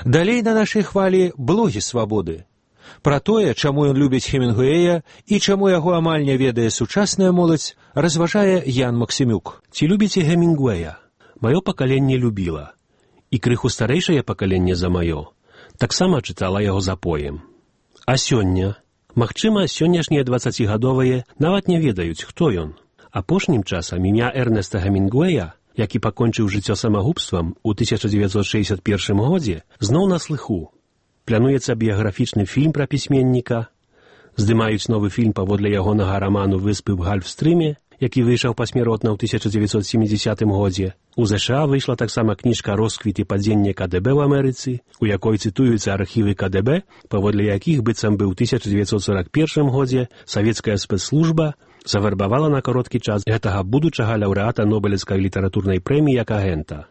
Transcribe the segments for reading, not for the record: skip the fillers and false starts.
Далей на нашай хвалі блогі свабоды. Пра тое, чаму ён любіць Хемінгуэя і чаму яго амаль не ведае сучасная моладзь, разважае Ян Максімюк. Ці любіце Хемінгуэя? Маё пакаленне любіла. І крыху старэйшае пакаленне за маё таксама чытала яго запоем. А сёння? Магчыма, сённяшнія 20гадовыя нават не ведаюць, хто ён. Апошнім часам імя Эрнеста Хемінгуэя, які пакончыў жыццё самагубствам у 1961 годзе, зноў на слыху. Плануецца біяграфічны фільм пра пісьменніка, здымаюць новы фільм паводле ягонага раману «Выспы ў Гальфстрыме», які выйшаў пасмяротна ў 1970 годзе. У ЗША выйшла таксама кніжка «Росквіт і падзенне КДБ ў Амерыцы», у якой цытуюцца архівы КДБ, паводле якіх быццам бы ў 1941 годзе савецкая спецслужба завербавала на кароткі час гэтага будучага лаўрэата Нобелевскай літаратурнай прэміі як агента.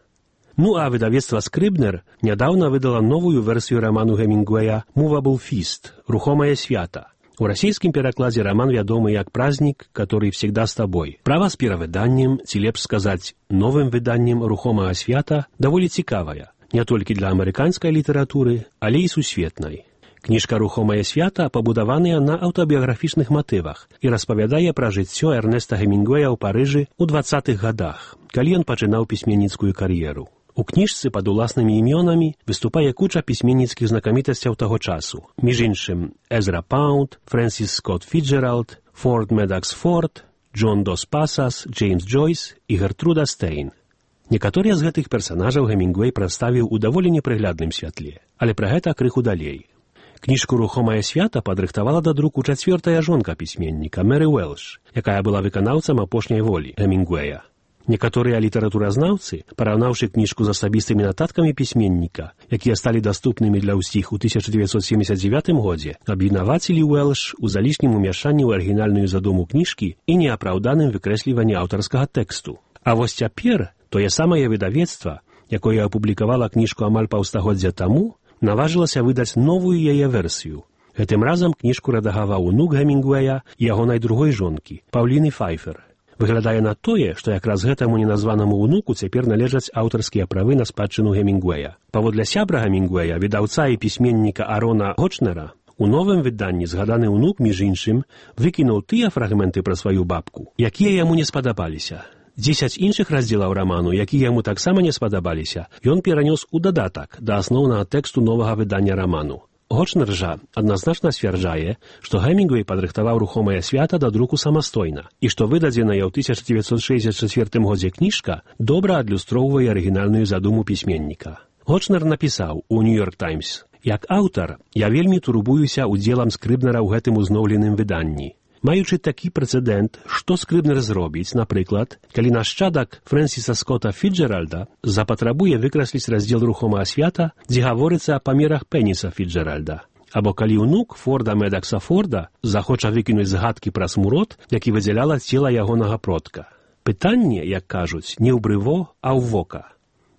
Ну а выдавецтва «Скрыбнер» нядаўна выдала новую версію раману Хемінгуэя «Movable Feast» – «Рухомае свята». У расійскім перакладзе раман вядомы як «Праздник, который всегда с тобой». Права з перавыданнем, ці лепш сказаць, новым выданнем «Рухомага свята» даволі цікавая, не толькі для амерыканскай літаратуры, але і сусветнай. Кніжка «Рухомае свята» пабудаваная на аўтабіяграфічных матывах і распавядае пра жыццё Эрнеста Хемінгуэя ў Парыжы ў 20-х гадах, калі ён пачынаў пісьменніцкую кар'еру. У кніжцы пад уласнымі імёнамі выступае куча пісьменніцкіх знакамітасцяў таго часу. Між іншым, Эзра Паунд, Фрэнсіс Скотт Фіджеральд, Форд Медакс Форд, Джон Дос Пасас, Джеймс Джойс і Гертруда Стейн. Некаторыя з гэтых персанажаў Хемінгуэй прадставіў у даволі непрыглядным святле, але пра гэта крыху далей. Кніжку «Рухомае свята» падрыхтавала да друку чацвёртая жонка пісьменніка Мэры Уэлш, якая была выканаўцам апошняй волі Хемінгуэя. Некаторыя літаратуразнаўцы, параўнаўшы кніжку з асабістымі нататкамі пісьменніка, якія сталі даступнымі для ўсіх у 1979 годзе, абвінавацілі Уэлш у залішнім умяшанні ў арыгінальную задуму кніжкі і неапраўданым выкрэсліванні аўтарскага тэксту. А вось цяпер тое самае выдавецтва, якое апублікавала кніжку амаль паўстагоддзя таму, наважылася выдаць новую яе версію. Гэтым разам кніжку рэдагаваў унук Хемінгуэя і ягонай другой жонкі, Паўліны Файфер. Выглядае на тое, што якраз гэтаму неназванаму ўнуку цяпер належаць аўтарскія правы на спадчыну Хемінгуэя. Паводле сябра Хемінгуэя, выдаўца і пісьменніка Арона Гочнера, у новым выданні згаданы ўнук, між іншым, выкінуў тыя фрагменты пра сваю бабку, якія яму не спадабаліся. 10 іншых раздзелаў раману, якія яму таксама не спадабаліся, ён перанёс у дадатак да асноўнага тэксту новага выдання раману. Гочнер жа адназначна сцвярджае, што Хемінгуэй падрыхтаваў «Рухомае свята» да друку самастойна і што выдадзеная ў 1964 годзе кніжка добра адлюстроўвае арыгінальную задуму пісьменніка. Гочнер напісаў у «Нью-Йорк Таймс»: «Як аўтар, я вельмі турбуюся удзелам Скрыбнера ў гэтым узноўленым выданні. Маючы такі прэцэдэнт, што Скрыбнер зробіць, напрыклад, калі нашчадак Фрэнсіса Скотта Фіджеральда запатрабуе выкрасліць раздзел «Рухомага свята», дзе гаворыцца о памерах пеніса Фіджеральда. Або калі ўнук Форда Медакса Форда захоча выкінуць згадкі пра смурод, які выдзяляла цела ягонага продка. Пытанне, як кажуць, не ў брыво, а ў вока.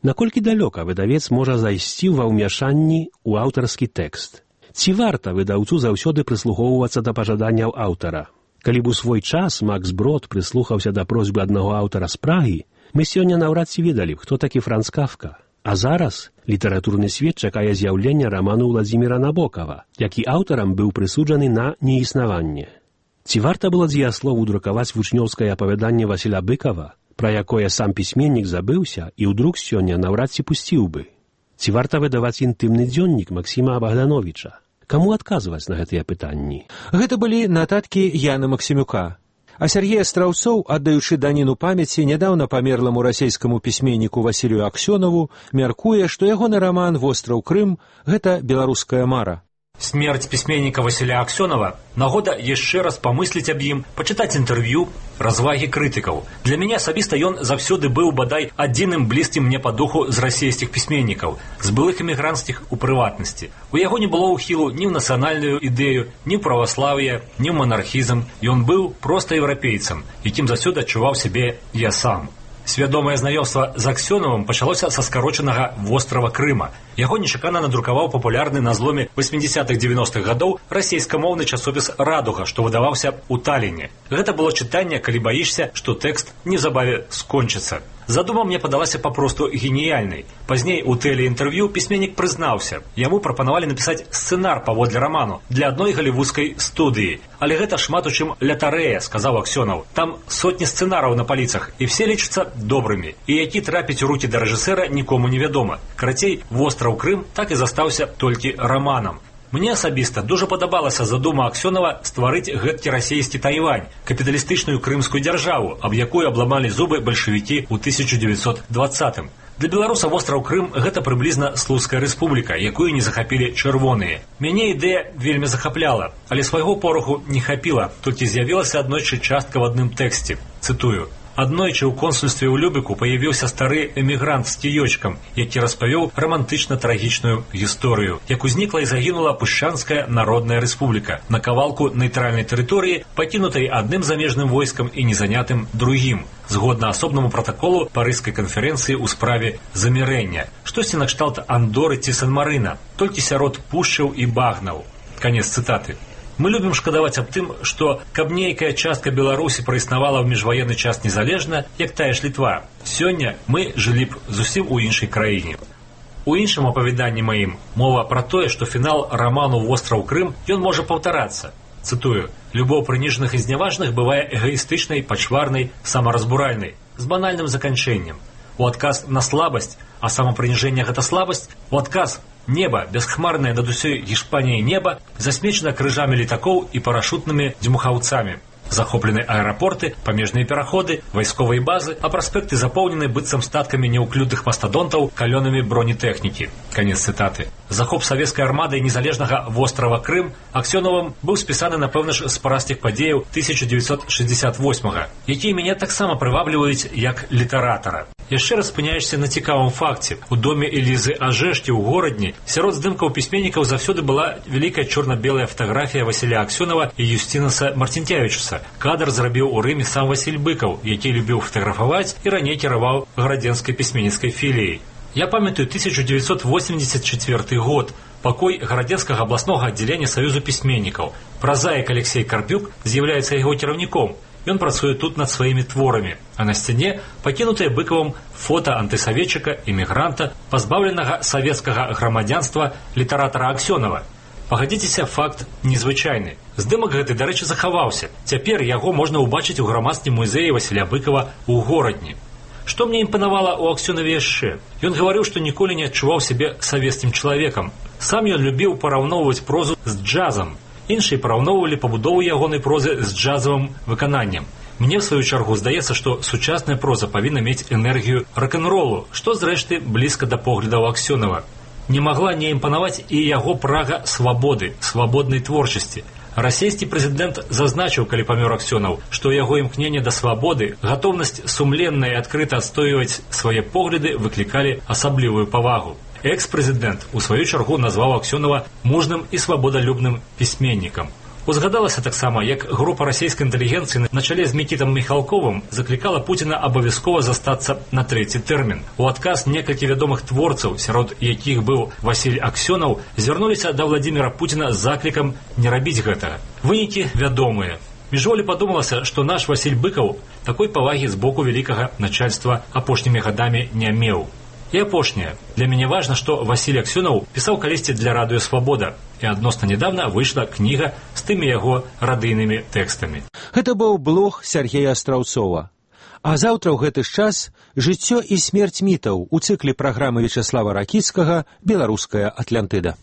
Наколькі далёка выдавец можа зайсці ва ўмяшанні ў аўтарскі тэкст? Ці варта выдаўцу заўсёды прыслухоўвацца да пажаданняў аўтара? Калі б у свой час Макс Брод прыслухаўся да просьбы аднаго аўтара з Прагі, мы сёння наўрад ці ведалі б, хто такі Франц Кафка. А зараз літаратурны свет чакае з'яўлення раману Владзіміра Набокава, які аўтарам быў прысуджаны на неіснаванне. Ці варта было дзеяслову друкаваць вучнёўскае апавяданне Васіля Быкова, пра якое сам пісьменнік забыўся і ў друк сёння наўрад ці пусціў бы? Ці варта выдаваць інтымны дзённік Максіма Богдановича? Каму адказваць на гэтыя пытанні? Гэта былі нататкі Яна Максімюка. А Сергей Астраўцоў, аддаючы даніну памяці нядаўна памерламу расійскаму пісьменніку Васілію Аксёнову, мяркуе, што ягоны раман «Востраў Крым» – гэта беларуская мара. Смерть письменника Василия Аксенова – нагода яшчэ раз памысліць аб ім, пачытаць інтэрв'ю, развагі крытыкаў. Для мяне асабіста ён заўсёды быў бадай адзіным блізкім мне па духу з расійскіх пісьменнікаў, з былых эмігранцкіх у прыватнасці. У яго не было ўхілу ні ў нацыянальную ідэю, ні ў праваслаўе, ні ў манархізм. Ён быў проста еўрапейцам, якім заўсёды адчуваў сябе я сам. Свядомае знаёмства з Аксёновым пачалося са скарочанага «Вострава Крыма». Яго нечакана надрукаваў папулярны на зломе 80-х-90-х гадоў расейскамоўны часопіс «Радуга», што выдаваўся ў Таліне. Гэта было чытанне, калі баішся, што тэкст неўзабаве скончыцца. Задума мне падалася папросту геніяльнай. Пазней у тэлеінтэрв'ю пісьменнік прызнаўся. Яму прапанавалі напісаць сцэнар паводле раману для адной галівудскай студыі. Але гэта шмат у чым лятарэя, сказаў Аксёнаў. Там сотні сцэнараў на паліцах, і все лічацца добрымі. І які трапіць у рукі да рэжысэра нікому невядома. Карацей, востраў Крым так і застаўся толькі раманам. Мне асабіста дуже падабалася задума Аксёнава стварыць гэткі расійскі Тайвань, капіталістычную крымскую дзяржаву, аб якой абламалі зубы бальшавікі ў 1920-м. Для беларуса востраў Крым гэта прыблізна Слуцкая рэспубліка, якую не захапілі чырвоныя. Мяне ідэя вельмі захапляла, але свайго пораху не хапіла, толькі з'явілася аднойчы частка в адным тэксце. Цытую. Аднойчы ў консульстве ў Любіку паявіўся стары эмігрант з кіёчкам, які распавёў рамантычна-трагічную гісторыю, як узнікла і загінула Пушчанская народная рэспубліка на кавалку нейтральнай тэрыторыі, пакінутай адным замежным войскам і незанятым другім, згодна асобнаму пратаколу Парыжскай канферэнцыі ў справе замірэння. Штосьці накшталт Андоры ці Сан-Марына, толькі сярод пушчаў і багнаў. Канец цытаты. Мы любім шкадаваць аб тым, што каб нейкая частка Беларусі праіснавала ў міжваенны час незалежна, як тая ж Літва. Сёння мы жылі б зусім у іншай краіне. У іншым апавяданні маім мова пра тое, што фінал раману «Востраў Крым» ён можа паўтарацца. Цытую. «Любоў прыніжаных і зняважных бывае эгаістычнай, пачварнай, самаразбуральнай, з банальным заканчэннем. У адказ на слабасць, а самапрыніжэнне гэта слабасць, у адказ неба, бясхмарнае над усёй Гішпаніяй неба, засмечана крыжамі літакоў і парашутнымі дзьмухаўцамі. Захоплены аэрапорты, памежныя пераходы, вайсковыя базы, а праспекты запоўнены быццам статкамі неўклюдных мастадонтаў калёнамі бронетэхнікі». Канец цытаты. Захоп савецкай армадай незалежнага вострава Крым Аксёнавым быў спісаны, напэўна ж, з парастых падзеяў 1968-га, якія мяне таксама прывабліваюць як літаратара. Яшчэ раз спыняешся на цікавым факце. У доме Элізы Ажэшкі ў горадні сярод здымкаў пісьменнікаў заўсёды была вялікая чорна-белая фатаграфія Васіля Аксёнава і Юстінаса Мартинкевічуса. Кадр зрабіў у Рыме сам Васіль Быкаў, які любіў фатаграфаваць і раней кіраваў гарадзенскай пісьменніцкай філіяй. Я памятаю 1984 год, пакой гарадзенскага абласнога аддзялення Саюзу пісьменнікаў. Празаік Алексей Карпюк з'яўляецца яго кіраўніком. Ён працуе тут над сваімі творамі, а на сцяне пакінутае Быкавым фота антысаветчыка, эмігранта, пазбаўленага савецкага грамадзянства літаратара Аксёнава. Пагадзіцеся, факт незвычайны. Здымак гэты, дарэчы, захаваўся. Цяпер яго можна ўбачыць у грамадскім музеі Васіля Быкава ў горадні. Што мне імпанавала ў Аксёнаве яшчэ? Ён гаварыў, што ніколі не адчуваў сябе савецкім чалавекам. Сам ён любіў параўноўваць прозу з джазам. Іншыя параўноўвалі пабудову ягонай прозы з джазавым выкананнем. Мне, в сваю чаргу, здаецца, што сучасная проза павінна мець энергію рок-н-ролу, што, зрэшты, блізка да поглядаў Аксёнава. Не магла не імпанаваць і яго прага свабоды, свабоднай творчасці. Расійскі прэзідэнт зазначыў, калі памёр Аксёнаў, што яго імкненне да свабоды, гатоўнасць сумленна і адкрыта адстойваць свае погляды выклікалі асаблівую павагу. Экс-прэзідэнт у сваю чаргу назваў Аксёнава мужным і свабодалюбным пісьменнікам. Узгадалася таксама, як група расійскай інтэлігенцыі на чале з Мікітам Міхалковым заклікала Пуціна абавязкова застацца на трэці тэрмін. У адказ некалькі вядомых творцаў, сярод якіх быў Васіль Аксёнаў, звярнуліся да Владзіміра Пуціна з заклікам не рабіць гэтага. Вынікі вядомыя. Міжволі падумалася, што наш Васіль Быкаў такой павагі з боку вялікага начальства апошнімі гадамі не меў. І апошняе. Для мяне важна, што Васіль Аксёнаў пісаў калісьці для радыё «Свабода», і адносна нядаўна выйшла кніга з тымі яго радыйнымі тэкстамі. Гэта быў блог Сяргея Астраўцова. А заўтра ў гэты ж час «Жыццё і смерць мітаў» у цыкле праграмы Вячаслава Ракіцкага «Беларуская Атлантыда».